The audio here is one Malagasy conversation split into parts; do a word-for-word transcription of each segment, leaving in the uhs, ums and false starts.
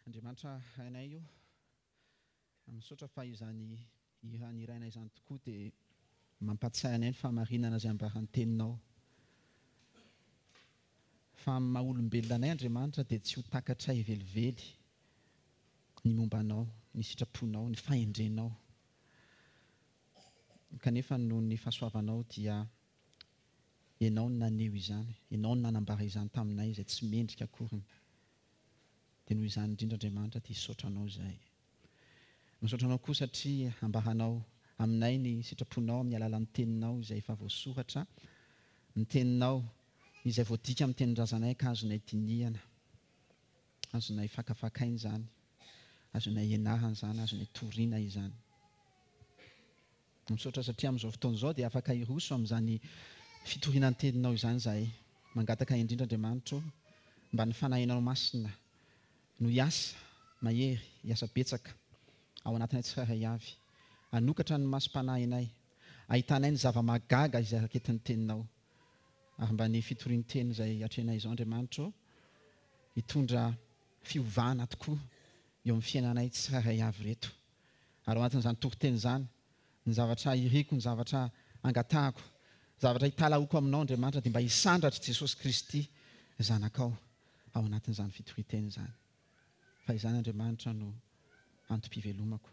Andriamanitra Rainay o, misaotra fa izany hira niraina izany tokoa dia mampatsiahy anay ny fahamarinana izay ambaran'ny teninao. Fa amin'ny maha olombelona anay Andriamanitra dia tsy ho takatray velively ny momba anao, ny sitraponao, ny fahendrenao. Kanefa noho ny fahasoavanao dia Ianao no naneho izany, Ianao no nanambara izany taminay izay tsy mendrika akoriny. Dia noho izany indrindra Andriamanitra dia hisaotra Anao izahay. Misaotra Anao koa satria ambaranao aminay ny sitraponao amin'ny alalan'ny Teninao izay efa voasoratra, ny Teninao izay voadika amin'ny tenin-drazanay ka azonay dinihana, azonay fakafakaina izany, azonay ianarana izany, azonay torina izany. Misaotra satria amin'izao fotoana izao dia afaka hiroso amin'izany fitoriana ny Teninao izany izahay. Mangataka indrindra Andriamanitra ô, mba ny Fanahinao Masina no hiasa mahery, hiasa betsaka ao anatinay tsirairay avy, hanokatra ny masom-panahinay, hahitanay ny zava-mahagaga izay raketin'ny Teninao. Ary mba ny fitorian-teny izay atrehinay izao Andriamanitra ô, hitondra fiovana tokoa eo amin'ny fiainanay tsirairay avy ireto. Ary ao anatin'izany toriteny izany, ny zavatra iriko, ny zavatra angatahako, zavatra italahoako aminao Andriamanitra dia mba hisandratr'i Jesosy Kristy Zanakao ao anatin'izany fitorian-teny izany. Fa izany Andriamanitra no antom-pivelomako,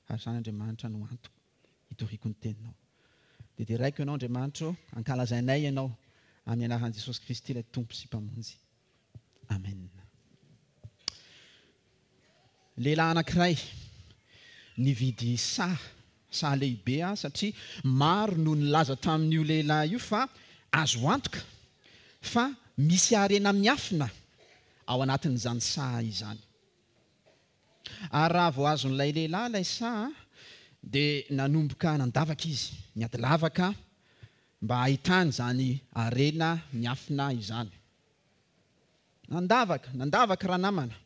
ary izany Andriamanitra no antoko hitoriako ny teninao. Dia deraiko Ianao Andriamanitra ô, ankalazainay Ianao amin'ny anaran'i Jesosy Kristy ilay Tompo sy Mpamonjy. Amen. Lehilahy anankiray nividy saha, saha lehibe aho satria maro no nilaza tamin'io lehilahy io fa azo antoka fa misy harena miafina ao anatin'izany saha izany. Ary raha vao azon'ilay lehilahy ilay saha dia nanomboka nandavaka izy, niady lavaka mba hahitany izany harena miafina izany. Nandavaka, nandavaka ranamana.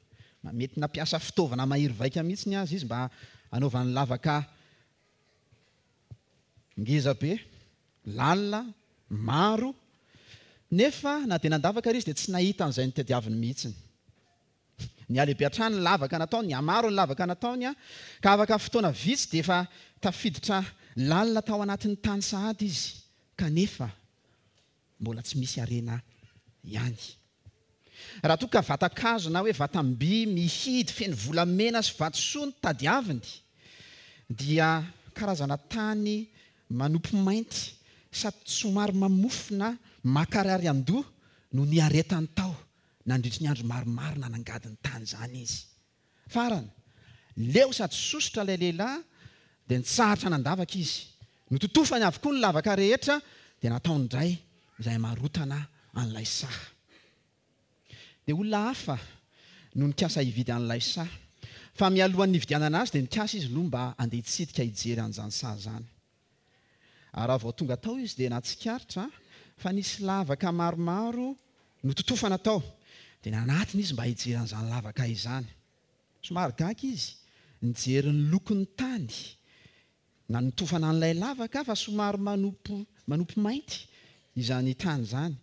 Mety nampiasa fitaovana mahery vaika mihitsy ny azy izy mba hanaovany lavaka ngeza be, lalina, maro. Nefa na dia nandavaka ary izy dia tsy nahita an'izay notadiaviny mihitsy. Nihalehibe hatrany ny lavaka nataony, nihamaro ny lavaka nataony, ka afaka fotoana vitsy dia efa tafiditra lalina tao anatin'ny tany sahady izy, kanefa mbola tsy misy harena ihany. Raha toa ka vatan-kazo na hoe vatam-by mihidy feno volamena sy vatosoa no tadiaviny, dia karazana tany manopy mainty sady somary mamofona mankarary an-doha no niaretany tao nandritry ny andro maromaro nanangady ny tany izany izy. Farany, leo sady sosotra ilay lehilahy dia nitsahatra nandavaka izy. Nototofany avokoa ny lavaka rehetra dia nataony indray izay hamarotana an'ilay saha. Dia olona hafa no nikasa hividy an'ilay saha. Fa mialohan'ny nividianana azy dia nikasa izy aloha mba handeha hitsidika hijery an'izany saha izany. Ary raha vao tonga tao izy dia nahatsikaritra fa nisy lavaka maromaro nototofana tao. Dia nanatona izy mba hijery an'izany lavaka izany. Somary gaga izy nijery ny lokon'ny tany nanotofana an'ilay lavaka fa somary manopy, manopy mainty izany tany izany.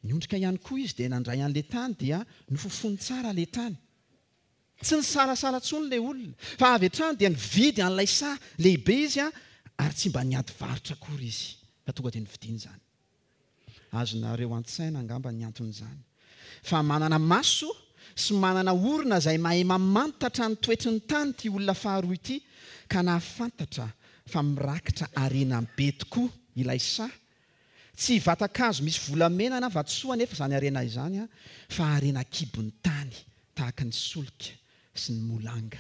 Niondrika ihany koa izy dia nandray an'ilay tany dia nofofony tsara ilay tany. Tsy nisalasala intsony ilay olona fa avy hatrany dia nividy an'ilay saha lehibe izy ary tsy mba niady varotra akory izy fa tonga dia nividiany izany. Azonareo an-tsaina angamba ny anton'izany. Fa manana maso sy manana orona izay mahay mamantatra ny toetry ny tany ity olona faharoa ity ka nahafantatra fa mirakitra harena be tokoa ilay saha. Tsy vatan-kazo misy volamena na vatosoa anefa izany harena izany fa harena an-kibon'ny tany tahaka ny solika sy ny molanga.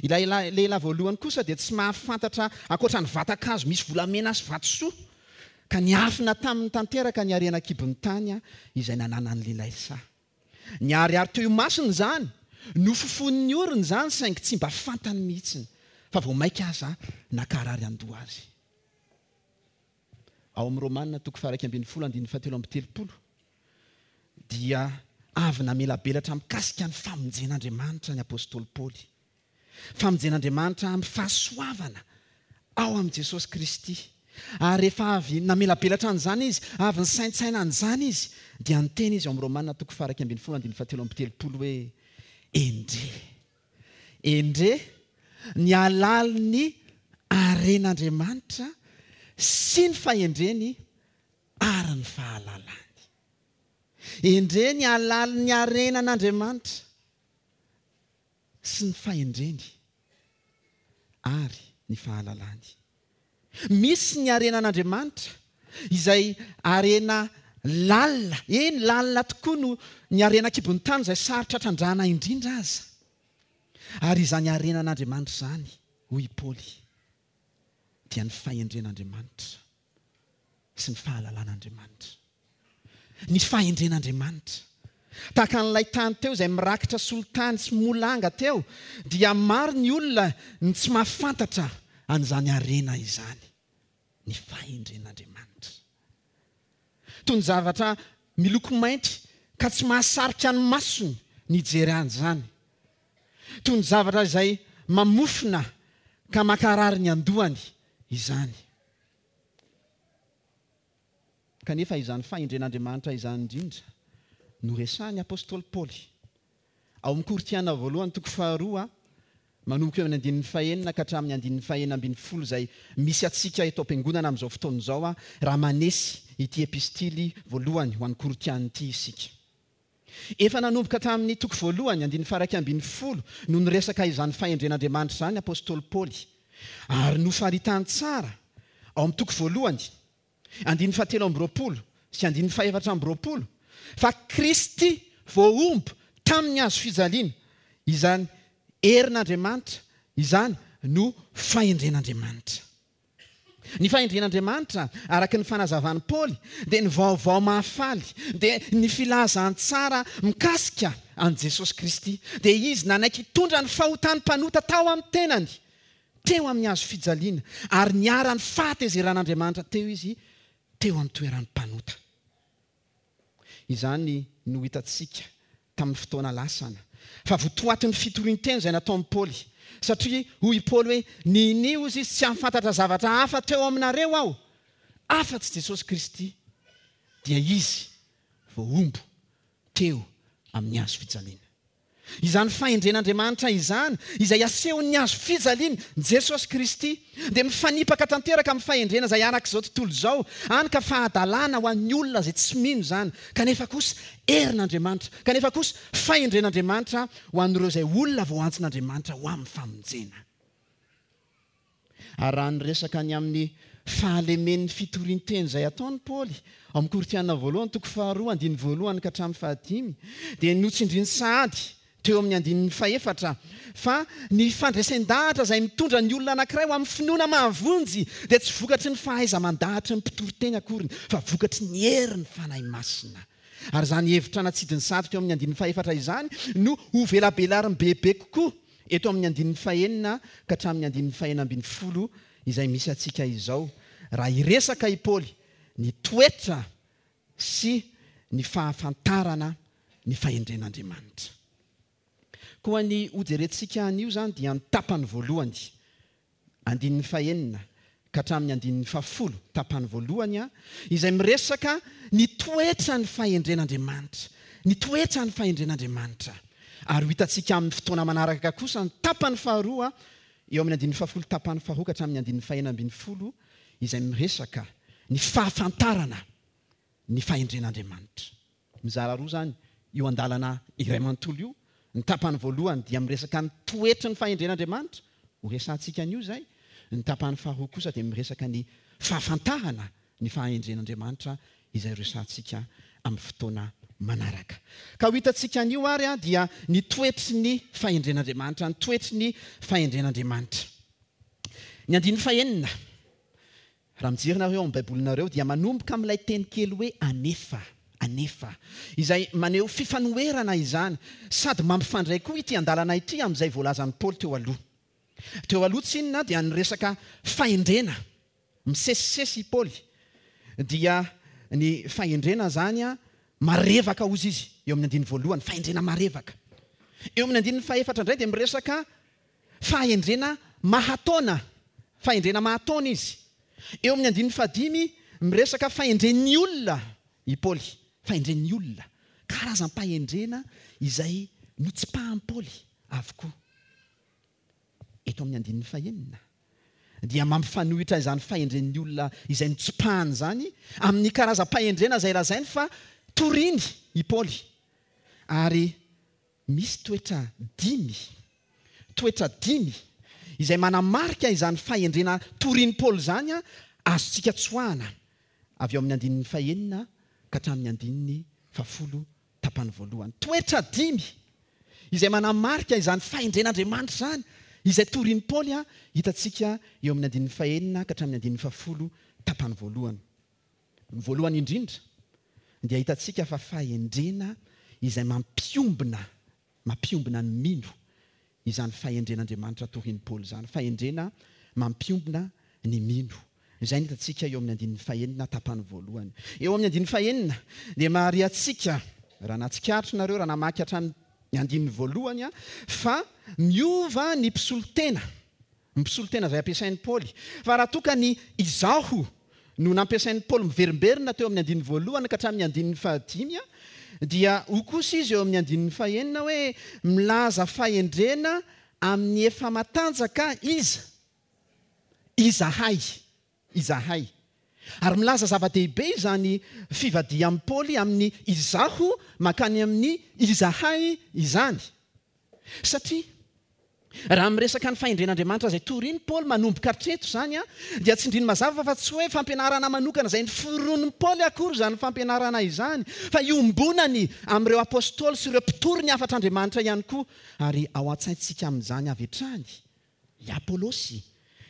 Ilay lehilahy voalohany kosa dia tsy mahafantatra ankoatra ny vatan-kazo misy volamena sy vatosoa ka niafina taminy tanteraka ny harena an-kibon'ny tany izay nananan'ilay saha. Niharihary teo imasony izany, nofofonin'ny orony izany saingy tsy mba fantany mihitsy fa vao mainka aza nankarary an-doha azy. Ao amin'ny Romana toko faha-iraika ambin'ny folo andininy fahatelo amby telopolo dia avy namelabelatra mikasika ny famonjen'Andriamanitra ny apostoly Paoly. Famonjen'Andriamanitra amin'ny fahasoavana ao amin'i Jesosy Kristy. Ary rehefa avy namelabelatra an'izany izy, avy nisaintsaina an'izany izy, dia niteny izy ao amin'ny Romana toko faha-iraika ambin'ny folo andininy fahatelo amby telopolo hoe, Endre, endre ny halalin'ny haren'Andriamanitra sy ny fahendreny ary ny fahalalany. Endre ny halalin'ny harenan'Andriamanitra sy ny fahendreny ary ny fahalalany. Misy ny harenan'Andriamanitra izay harena lalina, eny lalina tokoa no ny harena an-kibon'ny tany izay sarotra trandrahana indrindra aza. Ary izany harenan'Andriamanitra izany, hoy i Paoly, dia ny fahendren'Andriamanitra sy ny fahalalan'Andriamanitra. Ny fahendren'Andriamanitra. Tahaka an'ilay tany teo izay mirakitra solitany sy molanga teo, dia maro ny olona ny tsy mahafantatra an'izany harena izany. Ny fahendren'Andriamanitra. Toy ny zavatra miloko mainty ka tsy mahasarika ny masony ny hijery an'izany. Toy ny zavatra izay mamofona ka mankarary ny andohany izany. Kanefa izany fahendren'Andriamanitra izany indrindra no resahin'ny apostoly Paoly. Ao amin'ny Korintiana voalohany toko faharoa, manomboka eo amin'ny andininy fahenina ka hatramin'ny andininy fahenina ambin'ny folo izay misy antsika eto am-piangonana amin'izao fotoana izao, raha manesy ity epistily voalohany ho an'ny Korintiana ity isika. Efa nanomboka tamin'ny toko voalohany andininy faha-iraika ambin'ny folo no niresaka izany fahendren'Andriamanitra izany apostoly Paoly. Ary nofaritany tsara ao amin'ny toko voalohany andininy fahatelo amby roapolo sy andininy fahefatra amby roapolo fa Kristy voahombo tamin'ny hazo fijaliana. Izany herin'Andriamanitra izany no fahendren'Andriamanitra. Ny fahendren'Andriamanitra araka ny fanazavan'i Paoly dia ny vaovao mahafaly, dia ny filazantsara mikasika an'i Jesosy Kristy. Dia izy nanaiky hitondra ny fahotan'ny mpanota tao amin'ny tenany teo amin'ny hazo fijaliana, ary niharan'ny fahatezeran'Andriamanitra teo izy teo amin'ny toeran'ny mpanota. Izany no hitantsika tamin'ny fotoana lasana, fa votoatin'ny fitorian-teny izay nataon'i Paoly. Satria hoy i Paoly hoe, ninia hozy izy tsy hahafantatra zavatra hafa teo aminareo aho, afa-tsy Jesosy Kristy, dia izy voahombo teo amin'ny hazo fijaliana. Izany fahendren'Andriamanitra izany, izay asehon'ny hazo fijaliana, Jesosy Kristy, dia mifanipaka tanteraka amin'ny fahendrena izay arak'izao tontolo izao, hany ka fahadalana ho an'ny olona izay tsy mino izany, kanefa kosa herin'Andriamanitra, kanefa kosa fahendren'Andriamanitra ho an'ireo izay olona voaantsin'Andriamanitra ho amin'ny famonjena. Ary raha niresaka ny amin'ny fahalemen'ny fitorian-teny izay ataon'i Paoly ao amin'ny Korintiana voalohany toko faharoa andininy voalohany ka hatramin'ny fahadimy, dia notsindriny sahady teo amin'ny andininy fahefatra fa ny fandresen-dahatra izay mitondra ny olona anankiray ho amin'ny finoana mahavonjy dia tsy vokatry ny fahaiza-mandahatry ny mpitoriteny akoriny, fa vokatry ny herin'ny Fanahy Masina. Ary izany hevitra natsidiny sahady teo amin'ny andininy fahefatra izany no ho velabelariny bebe kokoa eto amin'ny andininy fahenina ka hatramin'ny andininy fahenina ambin'ny folo izay misy antsika izao, raha hiresaka i Paoly ny toetra sy ny fahafantarana ny fahendren'Andriamanitra. Koa ny hojerentsika anio izany dia ny tapany voalohany, andininy fahenina ka hatramin'ny andininy fahafolo, tapany voalohany, izay miresaka ny toetra ny fahendren'Andriamanitra, ny toetra ny fahendren'Andriamanitra. Ary ho hitantsika amin'ny fotoana manaraka kosa ny tapany faharoa eo amin'ny andininy fahafolo tapany faharoa ka hatramin'ny andininy fahenina ambin'ny folo, izay miresaka ny fahafantarana ny fahendren'Andriamanitra. Mizara roa izany io andalana iray manontolo io. Ny tapany voalohany dia miresaka ny toetry ny fahendren'Andriamanitra, ho resahantsika an'io izay. Ny tapany faharoa kosa dia miresaka ny fahafantarana ny fahendren'Andriamanitra izay resahantsika amin'ny fotoana manaraka. Ka ho hitantsika an'io ary dia ny toetry ny fahendren'Andriamanitra, ny toetry ny fahendren'Andriamanitra. Ny andininy fahenina, raha mijery nareo ao amin'ny Baibolinareo, dia manomboka amin'ilay teny kely hoe anefa, anefa, izay maneho fifanoherana izany, sady mampifandray koa ity andalana ity amin'izay voalazan'i Paoly teo aloha. Teo aloha tsinona dia niresaka fahendrena, misesisesy i Paoly, dia ny fahendrena zany a marevaka hozy izy eo amin'ny andininy voalohany, fahendrena marevaka. Eo amin'ny andininy fahefatra indray dia miresaka fahendrena mahataona, fahendrena mahataona izy. Eo amin'ny andininy fahadimy miresaka fahendren'ny olona i Paoly, fahendren'ny olona, karazam-pahendrena izay Notsipahan'i Paoly avokoa. Eto amin'ny andininy fahenina dia mampifanohitra izany fahendren'ny olona izay notsipahany izany amin'ny karazam-pahendrena izay lazainy fa toriny i Paoly. Ary misy toetra dimy, toetra dimy izay manamarika izany fahendrena torin'i Paoly izany azontsika tsoahana avy eo amin'ny andininy fahenina ka hatramin'ny andininy fahafolo tapany voalohany. Toetra dimy izay manamarika izany fahendren'Andriamanitra izany izay torin'i Paoly hitantsika eo amin'ny andininy fahenina ka hatramin'ny andininy fahafolo tapany voalohany. Ny voalohany indrindra dia hitantsika fa fahendrena izay mampiombona, mampiombona ny mino izany fahendren'Andriamanitra torin'i Paoly izany. Fahendrena mampiombona ny mino. Izay no hitantsika eo amin'ny andininy fahenina tapany voalohany. Eo amin'ny andininy fahenina dia mahariantsika, raha nahatsikaritra nareo, raha namaky hatrany ny andininy voalohany, fa miova ny mpisolo tena, ny mpisolo tena izay ampiasain'i Paoly. Fa raha toa ka ny izaho no nampiasain'i Paoly miverimberina teo amin'ny andininy voalohany ka hatramin'ny andininy fahadimy, dia ho kosa izy eo amin'ny andininy fahenina hoe milaza fahendrena amin'ny efa matanjaka iza? Izahay. Izahay. Ary milaza zava-dehibe izany fivadihan'i Paoly amin'ny izaho mankany amin'ny izahay izany. Satria raha miresaka ny fahendren'Andriamanitra izay toriny Paoly manomboka hatreto izany, dia tsindriny mazava fa tsy hoe fampianarana manokana izay noforonin'i Paoly akory izany fampianarana izany, fa iombonany amin'ireo apôstôly sy ireo mpitory ny hafatr'Andriamanitra ihany koa. Ary ao an-tsaintsika amin'izany avy hatrany i Apôlôsy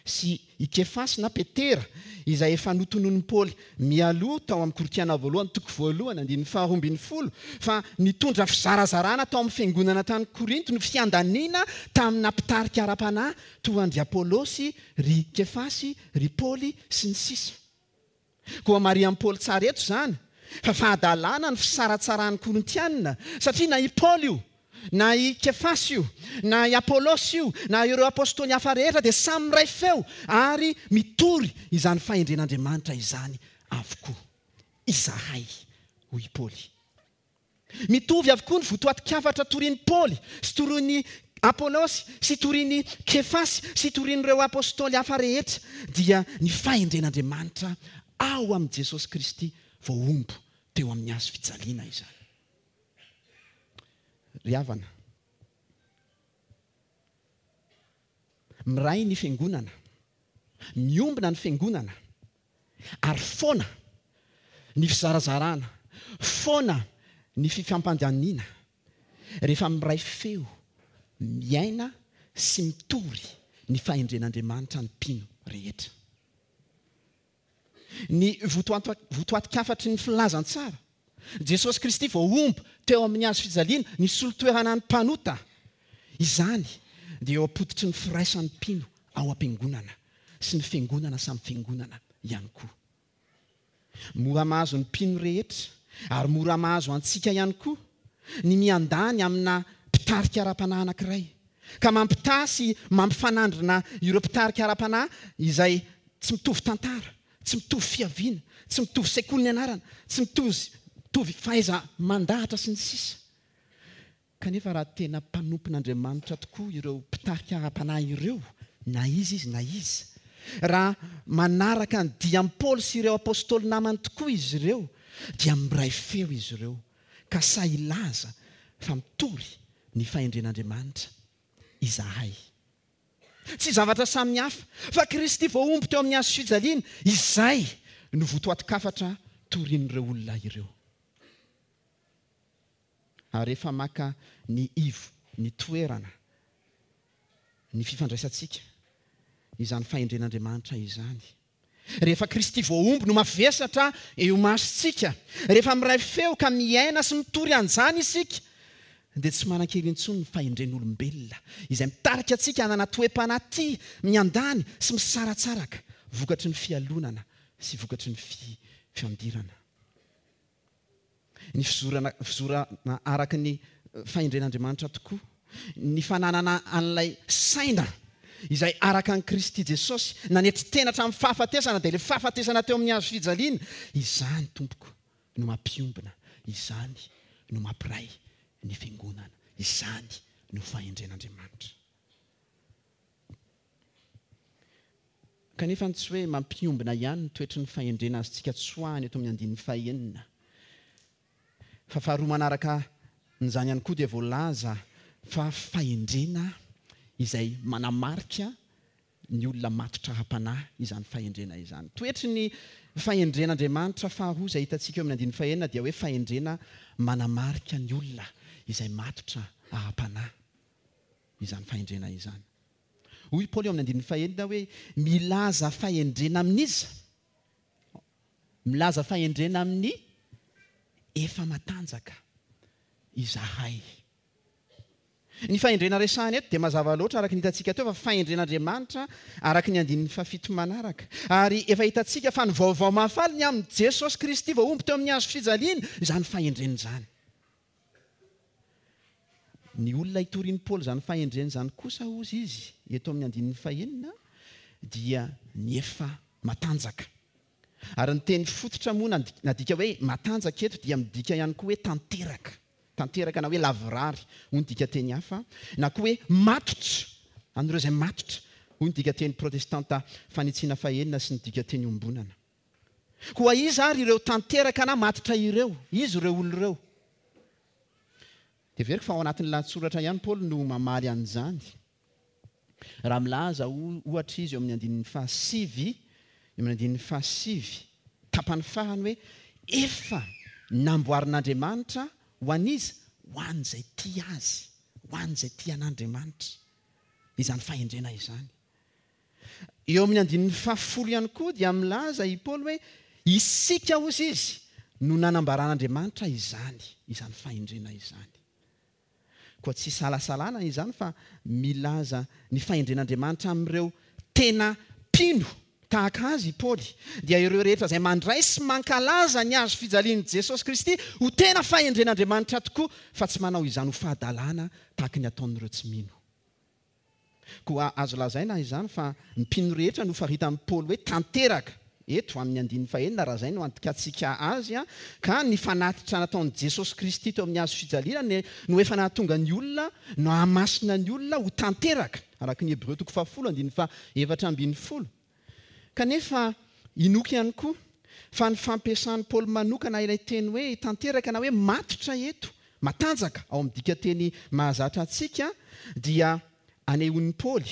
sy i Kefasy na Petera izay efa notononin'i Paoly mialoha tao amin'ny Korintiana voalohany toko voalohany andininy faharoa ambin'ny folo fa nitondra fizarazarana tao amin'ny fiangonana tany Korinto ny fiandaniana tamina mpitarika ara-panahy toa an-dry Apôlôsy, ry Kefasy, ry Paoly sy ny sisa. Koa marihan'i Paoly tsara eto izany fa fahadalana ny fisaratsaran'ny Korintiana, satria na i Paoly io, na i Kefasy io, na i Apôlôsy io, na ireo apôstôly hafa rehetra dia samy miray feo ary mitory izany fahendren'Andriamanitra izany avokoa. Izahay, hoy i Paoly. Mitovy avokoa ny votoatin-kafatra torin'i Paoly sy torin'i Apôlôsy sy torin'i Kefasy sy torin'ireo apôstôly hafa rehetra, dia ny fahendren'Andriamanitra ao amin'i Jesosy Kristy voahombo teo amin'ny hazo fijaliana izany. Ry havana, miray ny fiangonana, miombona ny fiangonana, ary foana ny fizarazarana, foana ny fifampandaniana, rehefa miray feo, miaina sy mitory ny fahendren'Andriamanitra ny mpino rehetra. Ny votoatin-kafatry ny filazantsara, Jesosy Kristy voahombo teo amin'ny hazo fijaliana, nisolo toerana ny mpanota. Izany dia eo am-pototry ny firaisan'ny mpino ao am-piangonana sy ny fiangonana samy fiangonana ihany koa. Mora mahazo ny mpino rehetra ary mora mahazo antsika ihany koa ny miandany amina mpitarika ara-panahy anankiray, ka mampitaha sy mampifanandrina ireo mpitarika ara-panahy izay tsy mitovy tantara, tsy mitovy fiaviana, tsy mitovy sekoly ny anarana, tsy mitovy fahaiza mandahatra sy ny sisa. Kanefa raha tena mpanompon'Andriamanitra tokoa ireo mpitarika ara-panahy ireo, na izy izy na izy, raha manaraka ny dian'i Paoly sy ireo apôstôly namany tokoa izy ireo, dia miray feo izy ireo, ka sahy hilaza fa mitory ny fahendren'Andriamanitra izahay. Tsy zavatra samy hafa, fa Kristy voahombo teo amin'ny hazo fijaliana, izay no votoatin-kafatra torin'ireo olona ireo. Ary rehefa maka ny ivo, ny toerana, ny fifandraisantsika, izany fahendren'Andriamanitra izany. Rehefa Kristy voahombo no mavesatra eo masontsika, rehefa miray feo ka miaina sy mitory an'izany isika, dia tsy manan-kery intsony ny fahendren'olombelona izay mitarika antsika hanana toe-panahy tia miandany sy misaratsaraka vokatry ny fialonana sy vokatry ny fiandirana. Ny fizorana, fizorana araka ny fahendren'Andriamanitra tokoa, ny fananana an'ilay saina izay araka an'i Kristy Jesosy nanetry tena hatramin'ny fahafatesana, dia ilay fahafatesana teo amin'ny hazo fijaliana, izany tompoko no mampiombona, izany no mampiray ny fiangonana, Izany no fahendren'Andriamanitra. Kanefa tsy hoe mampiombona ihany ny toetry ny fahendrena azontsika tsoahana eto amin'ny andininy fahenina. Fa faharoa manaraka n'izany ihany koa dia voalaza fa fahendrena izay manamarika ny olona matotra ara-panahy izany fahendrena izany. Toetry ny fahendren'Andriamanitra faharoa izay hitantsika eo amin'ny andininy fahenina dia hoe fahendrena manamarika ny olona izay matotra ara-panahy izany fahendrena izany. Hoy Paoly eo amin'ny andininy fahenina hoe milaza fahendrena amin'iza? Milaza fahendrena amin'ny efa matanjaka izahay. Ny fahendrena resahana eto dia mazava loatra araka ny hitantsika teo fa fahendren'Andriamanitra araka ny andininy fahafito manaraka. Ary efa hitantsika fa ny vaovao mahafaly ny amin'i Jesosy Kristy voahombo teo amin'ny hazo fijaliana izany fahendrena izany. Ny olona hitorian'i Paoly izany fahendrena izany kosa hozy izy eto amin'ny andininy fahenina dia ny efa matanjaka. Ary ny teny fototra moa nadika hoe matanjaka eto dia midika ihany koa hoe tanteraka. Tanteraka na hoe lavorary, hoy ny dikateny hafa, na koa hoe matotra, an'ireo izay matotra, hoy ny dikateny protestanta fanitsiana fahenina sy ny dikateny iombonana. Koa iza ary ireo tanteraka na matotra ireo? Iza ireo olona ireo? Dia heveriko fa ao anatin'ny lahatsoratra ihany Paoly no mamaly an'izany. Raha milaza ohatra izy eo amin'ny andininy fahasivy, eo amin'ny andininy fahasivy, tapany farany hoe efa namboarin'Andriamanitra ho an'iza? Ho an'izay tia azy, ho an'izay tia an'Andriamanitra. Izany fahendrena izany. Eo amin'ny andininy fahafolo ihany koa dia milaza i Paoly hoe isika hozy izy no nanambaran'Andriamanitra izany, izany fahendrena izany. Koa tsy isalasalana izany fa milaza ny fahendren'Andriamanitra amin'ireo tena mpino tahaka azy i Paoly, dia ireo rehetra izay mandray sy mankalaza ny hazo fijalian'i Jesosy Kristy ho tena fahendren'Andriamanitra tokoa, fa tsy manao izany ho fahadalana tahaka ny ataon'ireo tsy mino. Koa azo lazaina izany fa ny mpino rehetra no faritan'i Paoly hoe tanteraka eto amin'ny andininy fahenina raha izay no andikantsika azy, ka ny fanatitra nataon'i Jesosy Kristy teo amin'ny hazo fijaliana no efa nahatonga ny olona, no hahamasina ny olona ho tanteraka, araka ny Hebreo toko fahafolo andininy fahaefatra ambin'ny folo. Kanefa inoako ihany koa fa ny fampiasan'i Paoly manokana ilay teny hoe tanteraka na hoe matotra eto, matanjaka ao amin'ny dikateny mahazatra antsika, dia anehoan'i Paoly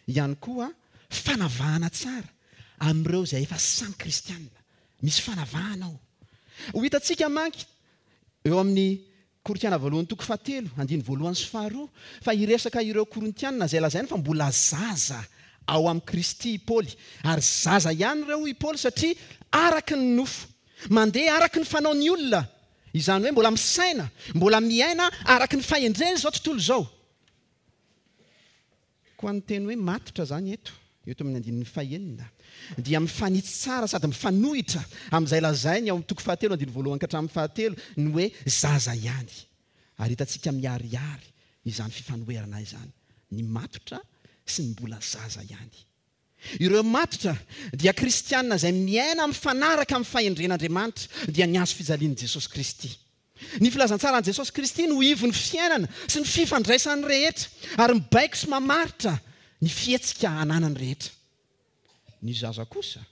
ihany koa fanavahana tsara amin'ireo izay efa samy kristianina. Misy fanavahana ao. Ho hitantsika manky eo amin'ny Korintiana voalohany toko fahatelo, andininy voalohany sy faharoa, fa hiresaka ireo Korintiana izay lazainy fa mbola zaza ao amin'i Kristy i Paoly. Ary zaza ihany ireo i Paoly satria araka ny nofo, mandeha araka ny fanaon'ny olona, izany hoe mbola misaina, mbola miaina araka ny fahendrena izao tontolo izao. Koa ny teny hoe matotra izany eto, eto amin'ny andininy fahenina, dia mifanitsy tsara sady mifanohitra amin'izay lazainy ao amin'ny toko fahatelo andininy voalohany ka hatramin'ny fahatelo ny hoe zaza ihany. Ary hitantsika miharihary izany fifanoherana izany, ny matotra sy ny mbola zaza ihany. Ireo matotra dia kristianina izay miaina mifanaraka amin'ny fahendren'Andriamanitra, dia ny hazo fijalian'i Jesosy Kristy. Ny filazantsaran'i Jesosy Kristy no ivon'ny fiainana sy ny fifandraisan'ny rehetra, ary mibaiko sy mamaritra ny fihetsika ananany rehetra. Ny zaza kosa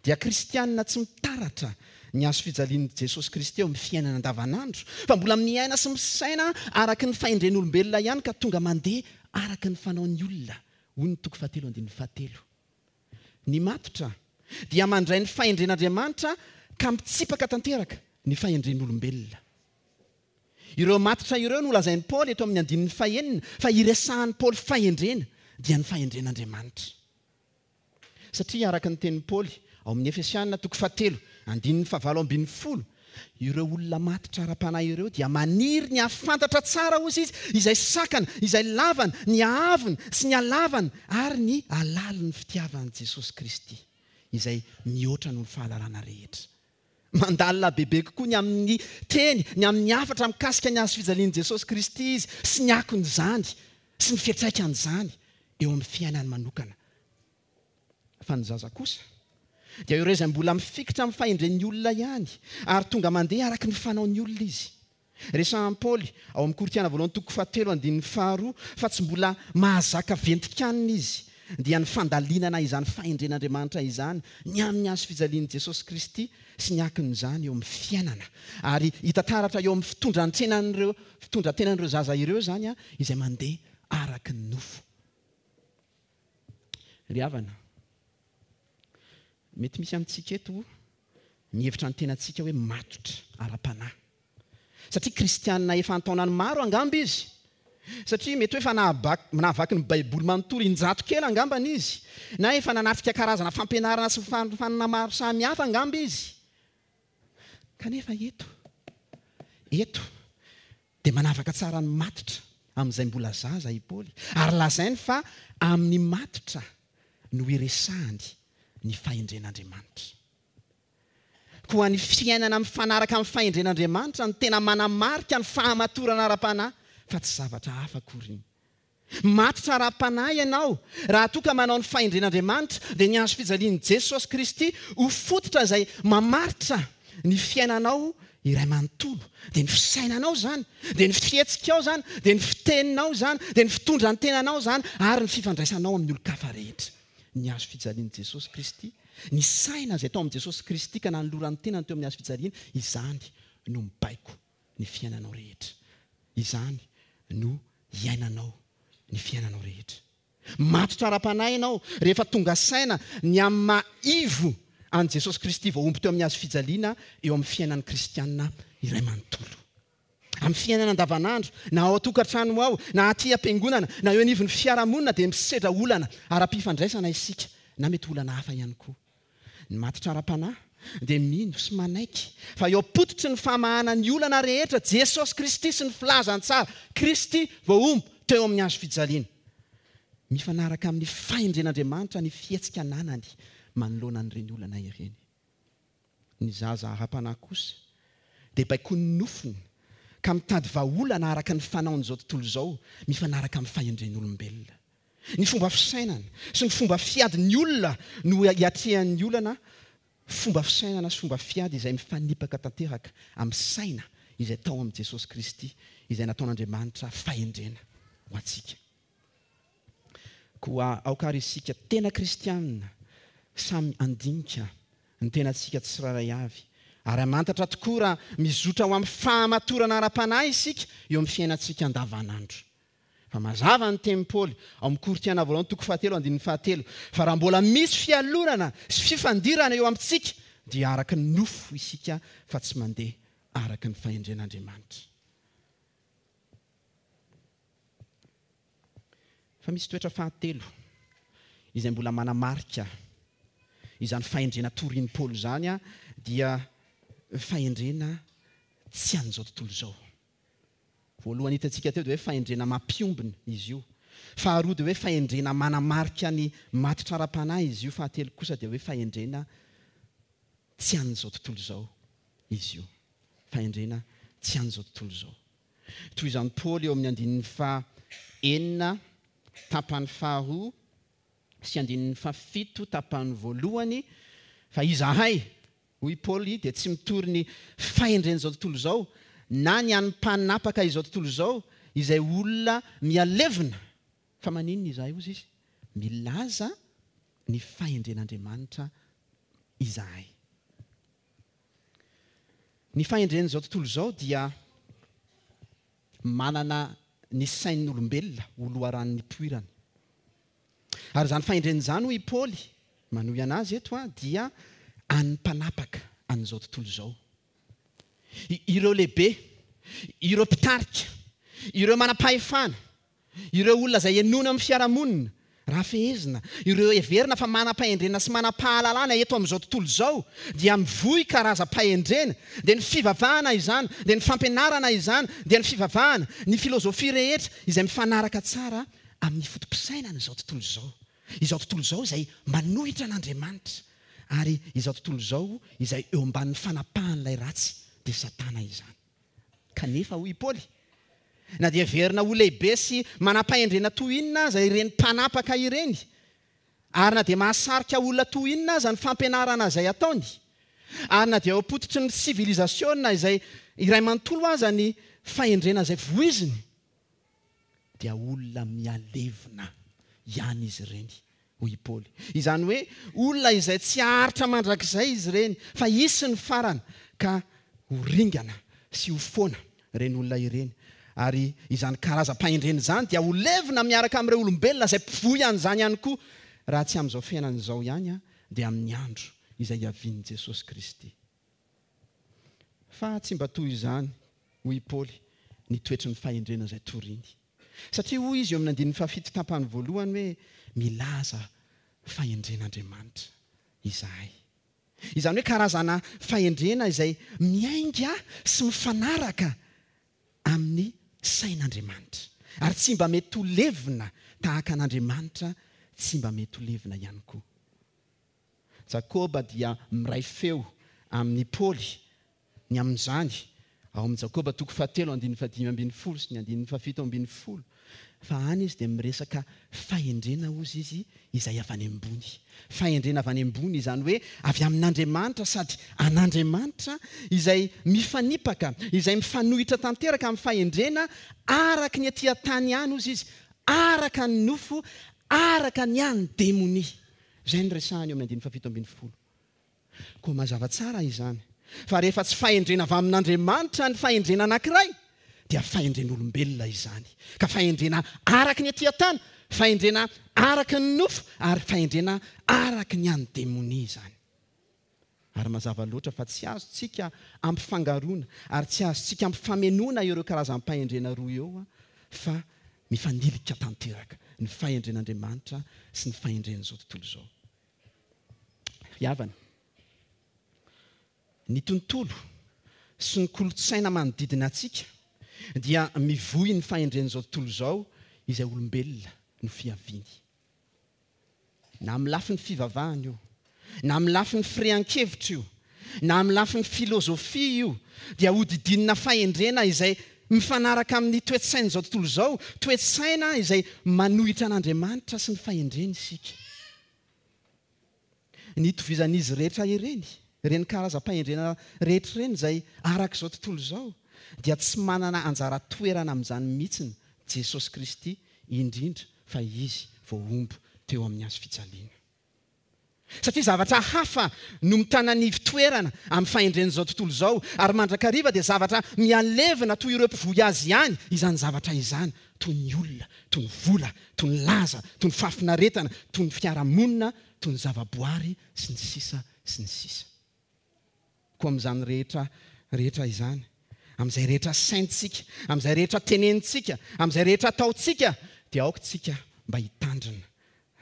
dia kristianina tsy mitaratra ny hazo fijalian'i Jesosy Kristy eo amin'ny fiainana andavanandro, fa mbola miaina sy misaina araka ny fahendren'olombelona ihany ka tonga mandeha araka ny fanaon'ny olona, hoy ny toko fahatelo andininy fahatelo. Ny matotra dia mandray ny fahendren'Andriamanitra ka mitsipaka tanteraka ny fahendren'olombelona. Ireo matotra ireo no lazain'i Paoly eto amin'ny andininy fahenina fa iresahan'i Paoly fahendrena dia ny fahendren'Andriamanitra. Satria araka ny tenin'i Paoly ao amin'ny Efesiana toko fahatelo andininy fahavalo ambin'ny folo, ireo olona matotra ara-panahy ireo dia maniry ny hahafantatra tsara hozy izy izay sakana, izay lavana, ny haavony sy ny halavana ary ny halalin'ny fitiavan'i Jesosy Kristy izay mihoatra noho ny fahalalana rehetra. Mandalina bebe kokoa ny amin'ny teny, ny amin'ny hafatra mikasika ny hazo fijalian'i Jesosy Kristy izy sy ny akon'izany sy ny fiantraikan'izany eo amin'ny fiainany manokana. Fa ny zaza kosa dia ireo izay mbola mifikitra amin'ny fahendren'ny olona ihany ary tonga mandeha araka ny fanaon'ny olona izy. Resahan'i Paoly ao amin'ny Korintiana voalohany toko fahatelo andininy faharoa fa tsy mbola mahazaka ventikanina izy, dia ny fandalinana izany fahendren'Andriamanitra izany ny amin'ny hazo fijalian'i Jesosy Kristy sy ny akon'izany eo amin'ny fiainana. Ary hita taratra eo amin'ny fitondran-tenan'ireo, fitondran-tenan'ireo zaza ireo izany a, izay mandeha araka ny nofo. Ry havana, mety misy amintsika eto mihevitra ny tenantsika hoe matotra ara-panahy. Satria kristianina efa an-taonany maro angamba izy. Satria mety hoe efa nahaba-, nahavaky ny Baiboly manontolo injato kely angambany izy. Na efa nanatrika karazana fampianarana sy fanofanana maro samihafa angamba izy. Kanefa eto, eto dia manavaka tsara ny matotra amin'izay mbola zaza i Paoly. Ary lazainy fa amin'ny matotra no iresahany ny fahendren'Andriamanitra. Koa ny fiainana mifanaraka amin'ny fahendren'Andriamanitra no tena manamarika ny fahamatorana ara-panahy, fa tsy zavatra hafa akory. Matotra ara-panahy ianao raha toa ka manao ny fahendren'Andriamanitra, dia ny hazo fijalian'i Jesosy Kristy ho fototra izay mamaritra ny fiainanao iray manontolo. Dia ny fisainanao izany, dia ny fihetsikao izany, dia ny fiteninao izany, dia ny fitondran-tenanao izany, ary ny fifandraisanao amin'ny olon-kafa rehetra. Ny hazo fijalian'i Jesosy Kristy, ny saina izay tao amin'i Jesosy Kristy ka nanolorany tenany teo amin'ny hazo fijaliana, izany no mibaiko ny fiainanao rehetra. Izany no iainanao ny fiainanao rehetra. Matotra ara-panahy ianao rehefa tonga saina ny amin'ny maha ivo an'i Jesosy Kristy voahombo teo amin'ny hazo fijaliana eo amin'ny fiainan'ny kristianina iray manontolo. Amin'ny fiainana andavanandro, na ao an-tokantrano ao, na aty am-piangonana, na eo anivon'ny fiarahamonina, dia misedra olana ara-pifandraisana isika, na mety olana hafa ihany koa. Ny matotra ara-panahy dia mino sy manaiky fa eo am-pototry ny famahana ny olana rehetra Jesosy Kristy sy ny filazantsara Kristy voahombo teo amin'ny hazo fijaliana. Mifanaraka amin'ny fahendren'Andriamanitra ny fihetsika ananany manoloana an'ireny olana ireny. Ny zaza ara-panahy kosa dia baikoin'ny nofony ka mitady vahaolana araka ny fanaon'izao tontolo izao mifanaraka amin'ny fahendren'olombelona. Ny fomba fisainana sy ny fomba fiadin'ny olona no iatrehan'ny olana, fomba fisainana sy fomba fiady izay mifanipaka tanteraka amin'ny saina izay tao amin'i Jesosy Kristy, izay nataon'Andriamanitra fahendrena ho antsika. Koa aoka ary isika tena kristianina samy handinika ny tenantsika tsirairay avy ary hamantatra tokoa raha mizotra ho amin'ny fahamatorana ara-panahy isika eo amin'ny fiainantsika andavanandro. Fa mazava ny tenin'i Paoly ao amin'ny Korintiana voalohany toko fahatelo andininy fahatelo fa raha mbola misy fialonana sy fifandirana eo amintsika dia araka ny nofo isika fa tsy mandeha araka ny fahendren'Andriamanitra. Fa misy toetra fahatelo izay mbola manamarika izany fahendrena torian'i Paoly izany, dia fahendrena tsy an'izao tontolo izao. Voalohany hitantsika teo dia hoe fahendrena mampiombona izy io. Faharoa dia hoe fahendrena manamarika ny matotra ara-panahy izy io. Fahatelo kosa dia hoe fahendrena tsy an'izao tontolo izao izy io. Fahendrena tsy an'izao tontolo izao. Toy izany Paoly eo amin'ny andininy fahenina tapany faharoa sy andininy fahafito tapany voalohany, fa izahay, hoy Paoly, dia tsy mitory ny fahendren'izao tontolo izao na ny an'ny mpanapaka izao tontolo izao, izay olona mialevina. Fa maninona izahay, hozy izy? Milaza ny fahendren'Andriamanitra izahay. Ny fahendren'izao tontolo izao dia manana ny sain'olombelona ho loharanon'ny nipoirany. Ary izany fahendrena izany, hoy i Paoly, manohy anazy eto, dia an'ny mpanapaka an'izao tontolo izao. I-, ireo lehibe, ireo mpitarika, ireo manam-pahefana, ireo olona izay henoina amin'ny fiarahamonina, raha fehezina, ireo heverina fa manam-pahendrena sy manam-pahalalana eto amin'izao tontolo izao, dia mivoy karazam-pahendrena, dia ny fivavahana izany, dia ny fampianarana izany, dia ny fivavahana, ny filozofia rehetra izay mifanaraka tsara amin'ny foto-pisainana izao tontolo izao. Izao tontolo izao izay manohitra an'Andriamanitra, ary izao tontolo izao izay eo ambanin'ny fanapahan'ilay ratsy, dia Satana izany. Kanefa, hoy i Paoly, na dia heverina ho lehibe sy manam-pahendrena toy inona aza ireny mpanapaka ireny, ary na dia mahasarika olona toy inona aza ny fampianarana izay ataony, ary na dia eo am-pototry ny sivilizasiona izay iray manontolo aza ny fahendrena izay voiziny, dia olona mialevina ihany izy ireny, hoy i Paoly. Izany hoe olona izay tsy haharitra mandrakizay izy ireny, fa hisy ny farany ka ho ringana sy ho foana ireny olona ireny. Ary izany karazam-pahendrena izany dia ho levona miaraka amin'ireo olombelona izay mpivoy an'izany ihany koa, raha tsy amin'izao fiainana izao ihany, dia amin'ny andro izay hiavian'i Jesosy Kristy. Fa tsy mba toy izany, hoy i Paoly, ny toetry ny fahendrena izay toriny. Satria hoy izy eo amin'ny andininy fahafito tapany voalohany hoe milaza fahendren'Andriamanitra izahay. Izany hoe karazana fahendrena izay miainga sy mifanaraka amin'ny sain'Andriamanitra. Ary tsy mba mety ho levona tahaka an'Andriamanitra, tsy mba mety ho levona ihany koa. Jakoba dia miray feo amin'i Paoly ny amin'izany ao amin'i Jakoba toko fahatelo andininy fahadimy ambin'ny folo sy ny andininy fahafito ambin'ny folo. Fa any izy dia miresaka fahendrena hozy izy izay avy any ambony. Fahendrena avy any ambony, izany hoe avy amin'Andriamanitra sady an'Andriamanitra, izay mifanipaka, izay mifanohitra tanteraka amin'ny fahendrena araka ny aty an-tany ihany hozy izy, araka ny nofo, araka ny an'ny demonia. Izay no resahany eo amin'ny andininy fahafito ambin'ny folo. Koa mazava tsara izany fa rehefa tsy fahendrena avy amin'Andriamanitra ny fahendrena anankiray, dia fahendren'olombelona izany. Ka fahendrena araka ny aty an-tany, fahendrena araka ny nofo, ary fahendrena araka ny an'ny demonia izany. Ary mazava loatra fa tsy azontsika ampifangaroana ary tsy azontsika ampifamenoana ireo karazam-pahendrena roa eo, fa mifanilika tanteraka ny fahendren'Andriamanitra sy ny fahendren'izao tontolo izao. Ry havana, ny tontolo sy ny kolontsaina manodidina antsika dia mivoy ny fahendren'izao tontolo izao izay olombelona no fiaviany. Na amin'ny lafiny fivavahana io, na amin'ny lafiny firehan-kevitra io, na amin'ny lafiny filozofia io, dia hodidinina fahendrena izay mifanaraka amin'ny toe-tsain'izao tontolo izao, toe-tsaina izay manohitra an'Andriamanitra sy ny fahendreny isika. Ny itovizan'izy rehetra ireny, ireny karazam-pahendrena rehetra ireny izay araka izao tontolo izao, dia tsy manana anjara toerana amin'izany mihitsy Jesosy Kristy, indrindra fa izy voahombo teo amin'ny hazo fijaliana. Satria zavatra hafa no mitana ny fitoerana amin'ny fahendren'izao tontolo izao, ary mandrakariva dia zavatra mialevina toy ireo mpivoy azy ihany izany zavatra izany, toy ny olona, toy ny vola, toy ny laza, toy ny fahafinaretana, toy ny fiarahamonina, toy ny zavaboary sy ny sisa sy ny sisa. Koa amin'izany rehetra rehetra izany, amin'izay rehetra saintsika, amin'izay rehetra tenenintsika, amin'izay rehetra ataontsika, dia aoka tsika mba hitandrina,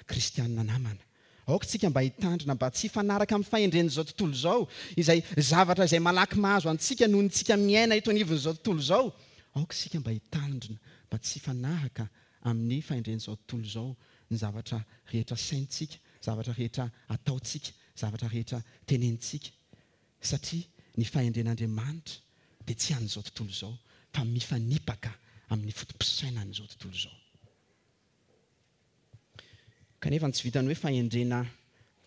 kristianina namana. Aoka tsika mba hitandrina mba tsy hifanaraka amin'ny fahendren'izao tontolo izao, izay zavatra izay malaky mahazo antsika noho ny tsika miaina eto anivon'izao tontolo izao. Aoka tsika mba hitandrina mba tsy hifanaraka amin'ny fahendren'izao tontolo izao ny zavatra rehetra saintsika, zavatra rehetra ataontsika, zavatra rehetra tenenintsika. Satria ny fahendren'Andriamanitra dia tsy an'izao tontolo izao, fa mifanipaka amin'ny foto-pisainan'izao tontolo izao. Kanefa tsy vitany hoe fahendrena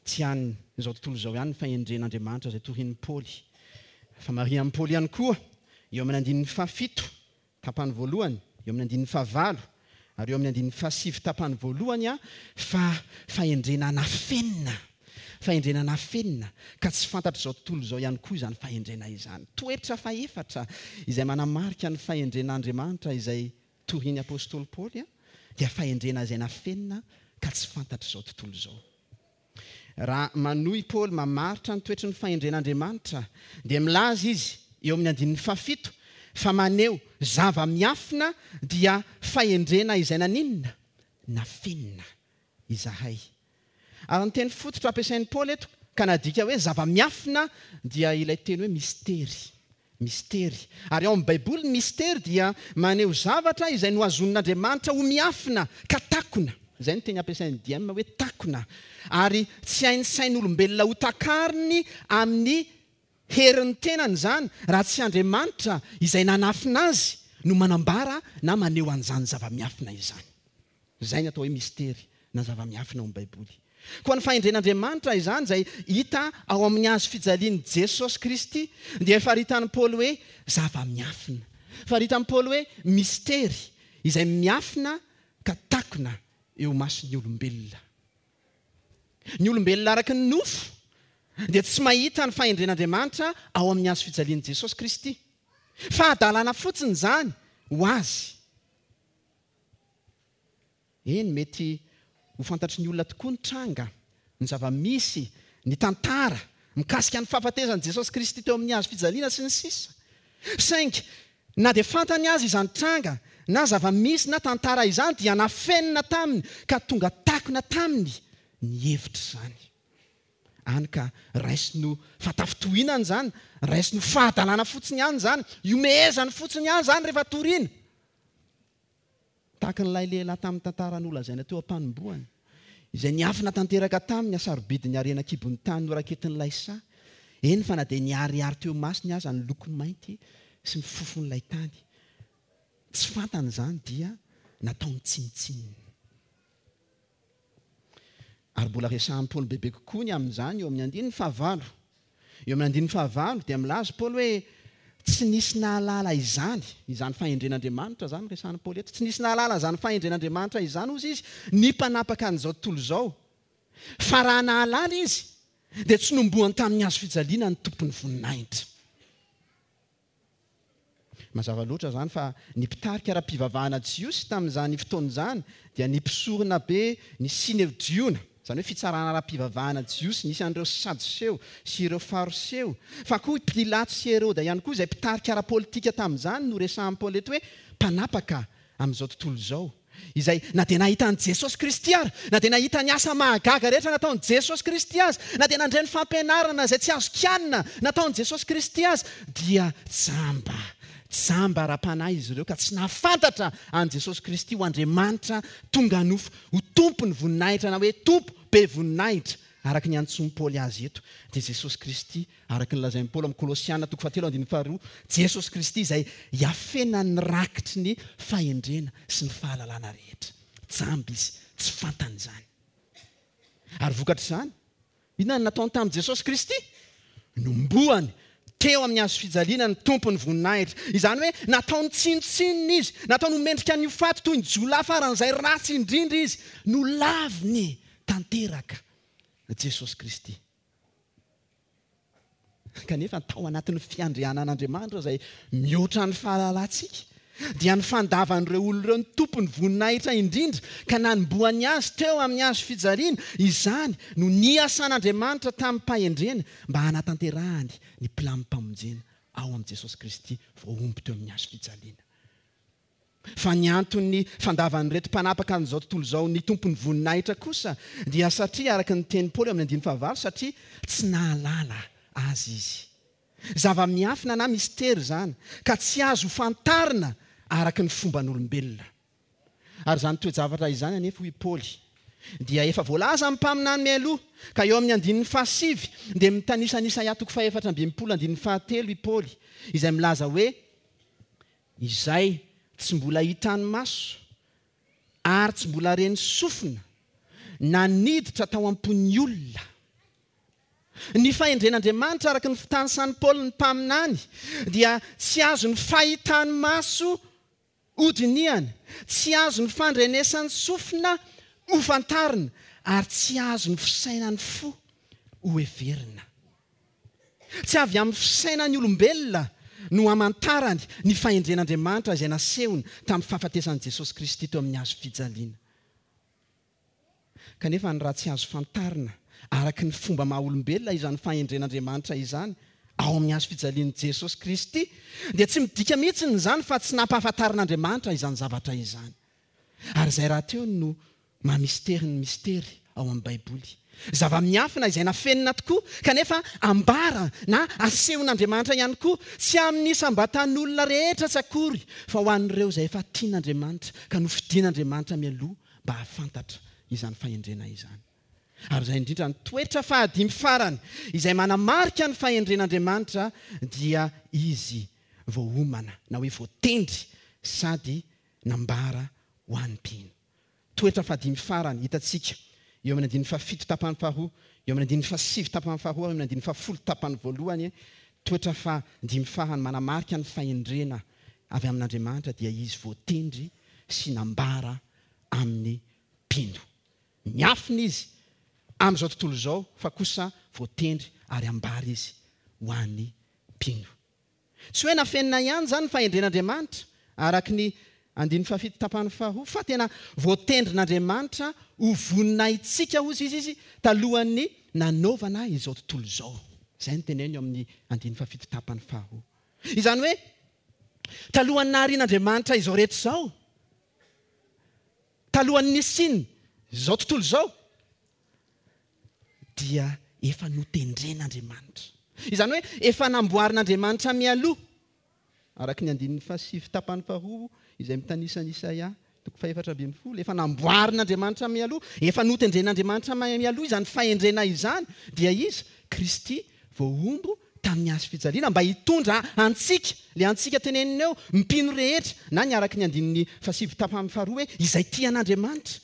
tsy an'izao tontolo izao ihany ny fahendren'Andriamanitra izay torian'i Paoly. Fa marihan'i Paoly ihany koa eo amin'ny andininy fahafito tapany voalohany, eo amin'ny andininy fahavalo, ary eo amin'ny andininy fahasivy tapany voalohany, fa fahendrena nafenina. Fahendrena nafenina ka tsy fantatr'izao tontolo izao ihany koa izany fahendrena izany. Toetra fahefatra izay manamarika ny fahendren'Andriamanitra izay torian'ny apostoly Paoly dia fahendrena izay nafenina ka tsy fantatr'izao tontolo izao. Raha manohy Paoly mamaritra ny toetry ny fahendren'Andriamanitra, dia milaza izy eo amin'ny andininy fahafito fa maneho zava-miafina dia fahendrena izay naninona? Nafenina izahay. Ary ny teny fototra ampiasain'i Paoly eto ka nadika hoe zava-miafina dia ilay teny hoe mistery. Mistery. Ary ao amin'ny Baiboly ny mistery dia maneho zavatra izay nohazonin'Andriamanitra ho miafina ka takona. Izay ny teny ampiasain'ny D M hoe takona. Ary tsy hain'ny sain'olombelona ho takariny amin'ny herin'ny tenany izany raha tsy Andriamanitra izay nanafina azy no manambara na maneho an'izany zava-miafina izany. Izay ny atao hoe mistery na zava-miafina ao amin'ny Baiboly. Koa ny fahendren'Andriamanitra izany izay hita ao amin'ny hazo fijalian'i Jesosy Kristy dia faritan'i Paoly hoe zava-miafina. Faritan'i Paoly hoe mistery izay miafina ka takona eo mason'ny olombelona. Ny olombelona araka ny nofo dia tsy mahita ny fahendren'Andriamanitra ao amin'ny hazo fijalian'i Jesosy Kristy. Fahadalana fotsiny izany ho azy. Eny, mety ho fantatry ny olona tokoa ny tranga, ny zava-misy, ny tantara mikasika ny fahafatezan'i Jesosy Kristy teo amin'ny hazo fijaliana sy ny sisa. Saingy na dia fantany azy izany tranga na zava-misy na tantara izany dia nafenina taminy ka tonga takona taminy ny hevitra izany. Any ka raisino fatafitohinana izany, raisino fahadalana fotsiny ihany izany, iomehezany fotsiny ihany izany rehefa toriana. Tahaka an'ilay lehilahy tamin'ny tantara nolazaina teo am-panombohana, izay niafina tanteraka taminy hasarobidin'ny harena an-kibon'ny tany noraketin'ilay saha, eny fa na dia niharihary teo masony aza ny lokony mainty sy ny fofon'ilay tany. Tsy fantany izany dia nataony tsinontsinona. Ary mbola resahan'i Paoly bebe kokoa ny amin'izany eo amin'ny andininy fahavalo. Eo amin'ny andininy fahavalo dia milaza Paoly hoe tsy nisy nahalala izany, izany fahendren'Andriamanitra izany resahan'i Paoly eto. Tsy nisy nahalala izany fahendren'Andriamanitra izany hozy izy, ny mpanapaka an'izao tontolo izao. Fa raha nahalala izy dia tsy nombohany tamin'ny hazo fijaliana ny tompon'ny voninahitra. Mazava loatra izany fa ny mpitarika ara-pivavahana jiosy tamin'izany fotoana izany dia ny mpisorona be, ny Synedriona, izany hoe fitsarana ara-pivavahana jiosy nisy an'ireo Sadoseo sy ireo Fariseo, fa koa i Pilato sy Heroda ihany koa izay mpitarika ara-politika tamin'izany no resahan'i Paoly eto hoe mpanapaka amin'izao tontolo izao, izay na dia nahita an'i Jesosy Kristy ary, na dia nahita ny asa mahagaga rehetra nataon'i Jesosy Kristy azy, na dia nandre ny fampianarana izay tsy azo kianina nataon'i Jesosy Kristy azy, dia jamba, jamba ara-panahy izy ireo ka tsy nahafantatra an'i Jesosy Kristy ho Andriamanitra tonga nofo, ho tompon'ny voninahitra na hoe tompo be voninahitra, araka ny antsoin'i Paoly azy eto, dia Jesosy Kristy, araka ny lazain'i Paoly amin'ny Kolosiana toko fahatelo andininy faharoa, Jesosy Kristy izay iafenan'ny rakitry ny fahendrena sy ny fahalalana rehetra. Jamba izy, tsy fantany izany. Ary vokatr'izany, inona no nataony tamin'i Jesosy Kristy? Nombohany teo amin'ny hazo fijaliana ny tompon'ny voninahitra. Izany hoe nataony tsinontsinona izy, nataony ho mendrika ny ho faty toy ny jiolahy faran'izay ratsy indrindra izy. Nolaviny tanteraka Jesosy Kristy. Kanefa tao anatin'ny fiandrianan'Andriamanitra izay mihoatra ny fahalalantsika, dia ny fandavan'ireo olona ireo ny tompon'ny voninahitra indrindra ka nanombohany azy teo amin'ny hazo fijaliana, izany no niasan'Andriamanitra tamin'ny-pahendrena mba hanatanterahany ny pilamim-pamonjena ao amin'i Jesosy Kristy voahombo teo amin'ny hazo fijaliana. Fa ny anton'ny fandavan'ireto mpanapaka an'izao tontolo izao ny tompon'ny voninahitra kosa dia satria, araka ny tenin'i Paoly amin'ny andininy fahavalo, satria tsy nahalala azy izy. Zava-miafina na mistery izany ka tsy azo fantarina araka ny fomban'olombelona. Ary izany toe-javatra izany anefa, hoy Paoly, dia efa voalaza amin'ny mpaminany mialoha, ka eo amin'ny andininy fahasivy dia mitanisa an'i Isaia toko fahefatra amby enimpolo andininy fahatelo i Paoly, izay milaza hoe izay tsy mbola hitany maso ary tsy mbola reny sofina na niditra tao am-pon'ny olona. Ny fahendren'Andriamanitra araka ny fitanisan'i Paoly ny mpaminany dia tsy azon'ny fahitany maso hodinihana, tsy azon'ny fandrenesan'ny sofina hofantarina ary tsy azon'ny fisainan'ny fo hoheverina. Tsy avy amin'ny fisainan'ny olombelona no hamantarany ny fahendren'Andriamanitra izay nasehony tamin'ny fahafatesan'i Jesosy Kristy teo amin'ny hazo fijaliana. Kanefa ny raha tsy azo fantarina araka ny fomba maha olombelona izany fahendren'Andriamanitra izany ao amin'ny hazo fijalian'i Jesosy Kristy dia tsy midika mihitsy izany fa tsy nampahafantarin'Andriamanitra izany zavatra izany. Ary izay rahateo no maha mistery ny mistery ao amin'ny Baiboly. Zava-miafina izay nafenina tokoa kanefa ambara na asehon'Andriamanitra ihany koa, tsy amin'ny isam-batan'olona rehetra tsy akory, fa ho an'ireo izay efa tian'Andriamanitra ka nofidin'Andriamanitra mialoha mba hahafantatra izany fahendrena izany. Ary izay indrindra ny toetra fahadimy farany izay manamarika ny fahendren'Andriamanitra dia izy voaomana na hoe voatendry sady nambara ho an'ny mpino. Toetra fahadimy farany hitantsika eo amin'ny andininy fahafito tapany faharoa, eo amin'ny andininy fahasivy tapany faharoa, eo amin'ny andininy fahafolo tapany voalohany. Toetra fahadimy farany manamarika ny fahendrena avy amin'Andriamanitra dia izy voatendry sy nambara amin'ny mpino. Miafina izy amin'izao tontolo izao fa kosa voatendry ary ambara izy ho an'ny mpino. Tsy hoe nafenina ihany izany ny fahendren'Andriamanitra araka ny andininy fahafito tapany faharoa fa tena voatendrin'Andriamanitra ho voninahitsika hozy izy izy talohan'ny nanaovana izao tontolo izao. Izay no teneno eo amin'ny andininy fahafito tapany faharoa. Izany hoe talohan'ny naharian'Andriamanitra izao rehetra izao, talohan'ny nisiany izao tontolo izao, dia efa notendren'Andriamanitra. Izany hoe efa namboarin'Andriamanitra mialoha araka ny andininy fahasivy tapany faharoa izay mitanisa an'i Isaia toko fahefatra ambin'ny folo, efa namboarin'Andriamanitra mialoha, efa notendren'Andriamanitra mialoha izany fahendrena izany, dia izy Kristy voahombo tamin'ny hazo fijaliana mba hitondra antsika, le antsika tenenina eo, mpino rehetra, na ny araka ny andininy fahasivy tapany faharoa hoe izay tia an'Andriamanitra,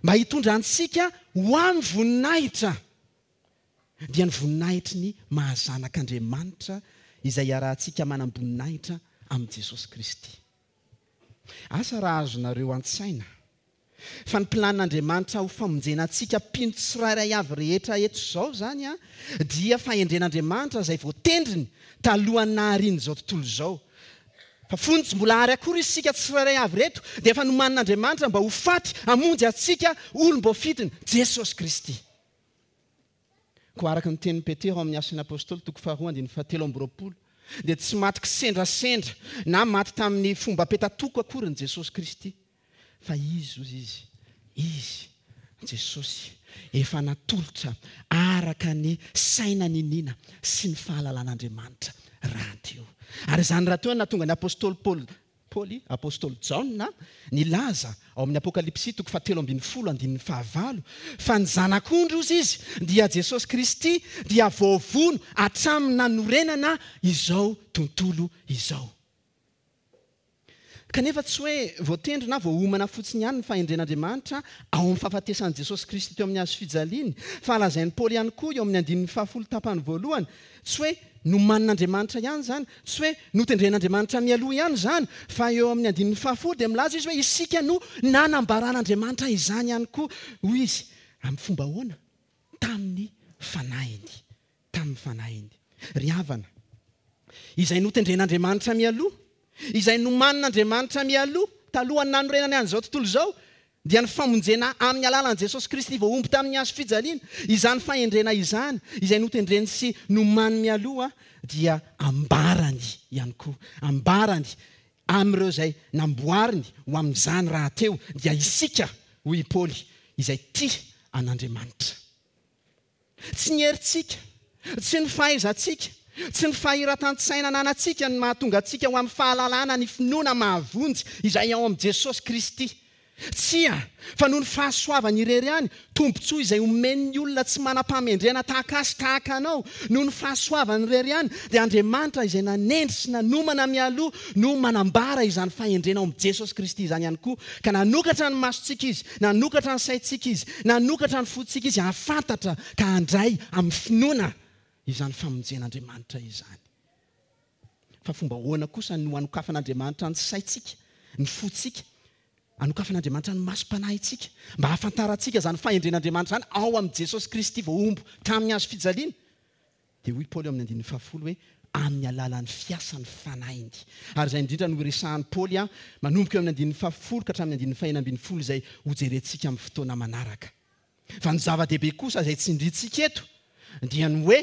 mba hitondra antsika ho amin'ny voninahitra, dia ny voninahitry ny mahazanak'Andriamanitra izay iarahantsika manam-boninahitra amin'i Jesosy Kristy. Asa raha azonareo an-tsaina fa ny planin'Andriamanitra ho famonjena antsika mpino tsirairay avy rehetra eto izao izany a, dia fahendren'Andriamanitra izay voatendriny talohan'ny naharian'izao tontolo izao. Fa fony tsy mbola ary akory isika tsirairay avy reto dia efa nomanin'Andriamanitra mba ho faty hamonjy antsika olom-boafidiny Jesosy Kristy. Koa araka ny tenin'i Petera ao amin'ny Asan'ny Apôstôly toko faharoa andininy fahatelo amby roapolo dia tsy maty kisendrasendra na maty tamin'ny fomba petatoko akory ny Jesosy Kristy, fa izy hozy izy, izy Jesosy efa natolotra araka ny saina niniana sy ny fahalalan'Andriamanitra rahateo. Ary izany rahateo no nahatonga ny Apôstôly Paoly, Paoly, Apôstôly Jaona nilaza ao amin'ny Apokalypsy toko fahatelo ambin'ny folo andininy fahavalo fa ny zanak'ondry hozy izy dia Jesosy Kristy dia voavono hatramin'ny nanorenana izao tontolo izao. Kanefa tsy hoe voatendry na voaomana fotsiny ihany ny fahendren'Andriamanitra ao amin'ny fahafatesan'i Jesosy Kristy teo amin'ny hazo fijaliany, fa lazain'i Paoly ihany koa eo amin'ny andininy fahafolo tapany voalohany, tsy hoe nomanin'Andriamanitra ihany izany, tsy hoe notendren'Andriamanitra mialoha ihany izany, fa eo amin'ny andininy fahafolo dia milaza izy hoe isika no nanambaran'Andriamanitra izany ihany koa, hoy izy, amin'ny fomba ahoana? Tamin'ny fanahiny, tamin'ny fanahiny. Ry havana, izay notendren'Andriamanitra mialoha, izay nomanin'Andriamanitra mialoha talohan'ny nanorenany an'izao tontolo izao, dia ny famonjena amin'ny alalan'i Jesosy Kristy voahombo tamin'ny hazo fijaliana. Izany fahendrena izany, izay notendreny sy nomany mialoha, dia ambarany ihany koa, ambarany amin'ireo izay namboariny ho amin'izany rahateo, dia isika, hoy i Paoly, izay tia an'Andriamanitra. Tsy ny herintsika, tsy ny fahaizantsika, tsy ny fahiratan-tsaina ananantsika no mahatonga antsika ho amin'ny fahalalana ny finoana mahavonjy izay ao amin'i Jesosy Kristy. Tsia, fa noho ny fahasoavany irery ihany, tombontsoa izay omen'ny olona tsy manam-pahamendrehana tahaka azy tahaka anao, noho ny fahasoavany irery ihany, dia Andriamanitra izay nanendry sy nanomana mialoha no manambara izany fahendrena ao amin'i Jesosy Kristy izany ihany koa, ka nanokatra ny masontsika izy, nanokatra ny saintsika izy, nanokatra ny fontsika izy hahafantatra ka handray amin'ny finoana izany famonjen'Andriamanitra izany. Fa fomba ahoana kosa no hanokafan'Andriamanitra ny saintsika, ny fontsika, hanokafan'Andriamanitra ny masom-panahintsika mba hahafantarantsika izany fahendren'Andriamanitra izany ao amin'i Jesosy Kristy voahombo tamin'ny hazo fijaliana? Dia hoy Paoly eo amin'ny andininy fahafolo hoe amin'ny alalan'ny fiasan'ny fanahiny. Ary izay indrindra no resahan'i Paoly manomboka eo amin'ny andininy fahafolo ka hatramin'ny andininy fahenina ambin'ny folo izay hojerentsika amin'ny fotoana manaraka. Fa ny zava-dehibe kosa izay tsindrintsika eto dia ny hoe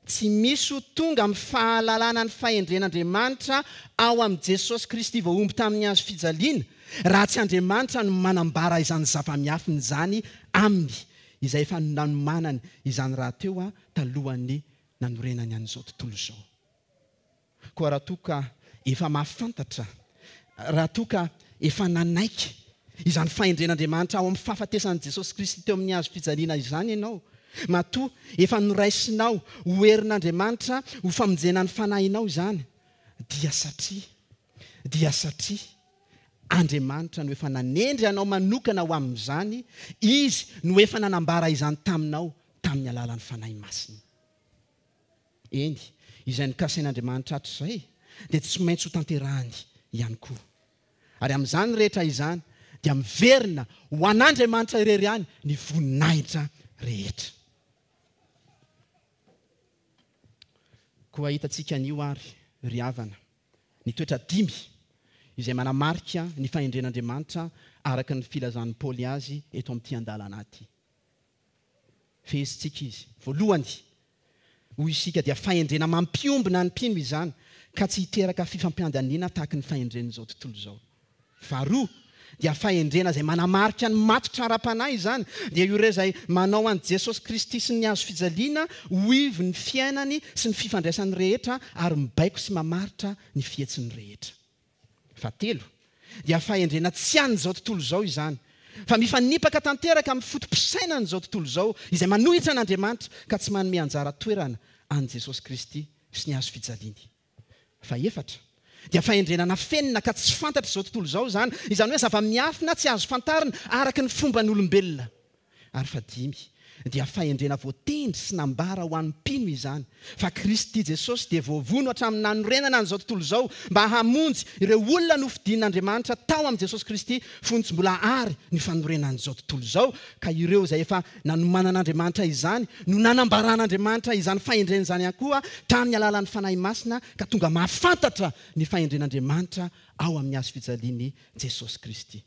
tsy misy ho tonga amin'ny fahalalana ny fahendren'Andriamanitra ao amin'i Jesosy Kristy voahombo tamin'ny hazo fijaliana raha tsy Andriamanitra no manambara izany zava-miafina izany aminy, izay efa nanomanany izany rahateo talohan'ny nanorenany an'izao tontolo izao. Koa raha toa ka efa mahafantatra, raha toa ka efa nanaiky izany fahendren'Andriamanitra ao amin'ny fahafatesan'i Jesosy Kristy teo amin'ny hazo fijaliana izany ianao, matoa efa noraisinao ho herin'Andriamanitra ho famonjena ny fanahinao izany, dia satria, dia satria Andriamanitra no efa nanendry anao manokana ho amin'izany, Izy no efa nanambara izany taminao tamin'ny alalan'ny Fanahy Masina. Eny, izay nokasain'Andriamanitra hatrizay dia tsy maintsy ho tanterahany ihany koa. Ary amin'izany rehetra izany dia miverina ho an'Andriamanitra irery ihany ny voninahitra rehetra. Koa hitantsika anio ary ry havana ny toetra dimy izay manamarika ny fahendren'Andriamanitra araka ny filazan'i Paoly azy eto amin'ity andalana ity. Fehezintsika izy. Voalohany, hoy isika, dia fahendrena mampiombona ny mpino izany ka tsy hiteraka fifampiandaniana tahaka ny fahendren'izao tontolo izao. Faharoa, dia fahendrena izay manamarika ny matotra ara-panahy izany, dia ireo izay manao an'i Jesosy Kristy sy ny hazo fijaliana ho ivon'ny fiainany sy ny fifandraisany rehetra ary mibaiko sy mamaritra ny fihetsiny rehetra. Fahatelo, dia fahendrena tsy an'izao tontolo izao izany, fa mifanipaka tanteraka amin'ny foto-pisainan'izao tontolo izao izay manohitra an'Andriamanitra ka tsy manome anjara toerana an'i Jesosy Kristy sy ny hazo fijaliany. Fahefatra, dia fahendrena nafenina ka tsy fantatra izao tontolo izao izany, izany hoe zava-miafina tsy azo fantarina araka ny fomban'olombelona. Ary fahadimy, dia fahendrena voatendry sy nambara ho an'ny mpino izany, fa Kristy Jesosy dia voavono hatramin'ny nanorenana an'izao tontolo izao mba hamonjy ireo olona nofidin'Andriamanitra tao amin'i Jesosy Kristy fony tsy mbola ary ny fanorenan'izao tontolo izao, ka ireo izay efa nanomanan'Andriamanitra izany no nanambaran'Andriamanitra izany fahendrena izany ihany koa tamin'ny alalan'ny Fanahy Masina, ka tonga mahafantatra ny fahendren'Andriamanitra ao amin'ny hazo fijalian'i Jesosy Kristy.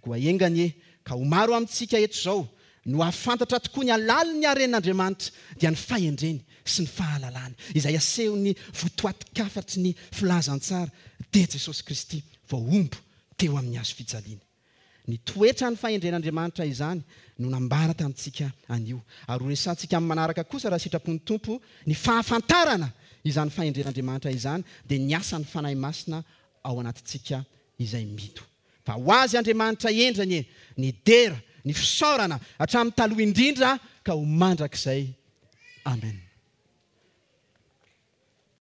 Koa enga anie ka ho maro amintsika eto izao no hahafantatra tokoa ny halalin'ny haren'Andriamanitra, dia ny fahendreny sy ny fahalalany, izay asehon'ny votoatin-kafatry ny filazantsara, dia Jesosy Kristy voahombo teo amin'ny hazo fijaliana. Ny toetran'ny fahendren'Andriamanitra izany no nambara tamintsika anio. Ary ho resahantsika amin'ny manaraka kosa raha sitrapon'ny Tompo ny fahafantarana izany fahendren'Andriamanitra izany, dia ny asan'ny Fanahy Masina ao anatintsika izay mino. Fa ho azy Andriamanitra hendry anie ny dera, ny fisaorana hatramin'ny taloha indrindra ka ho mandrakizay. Amen.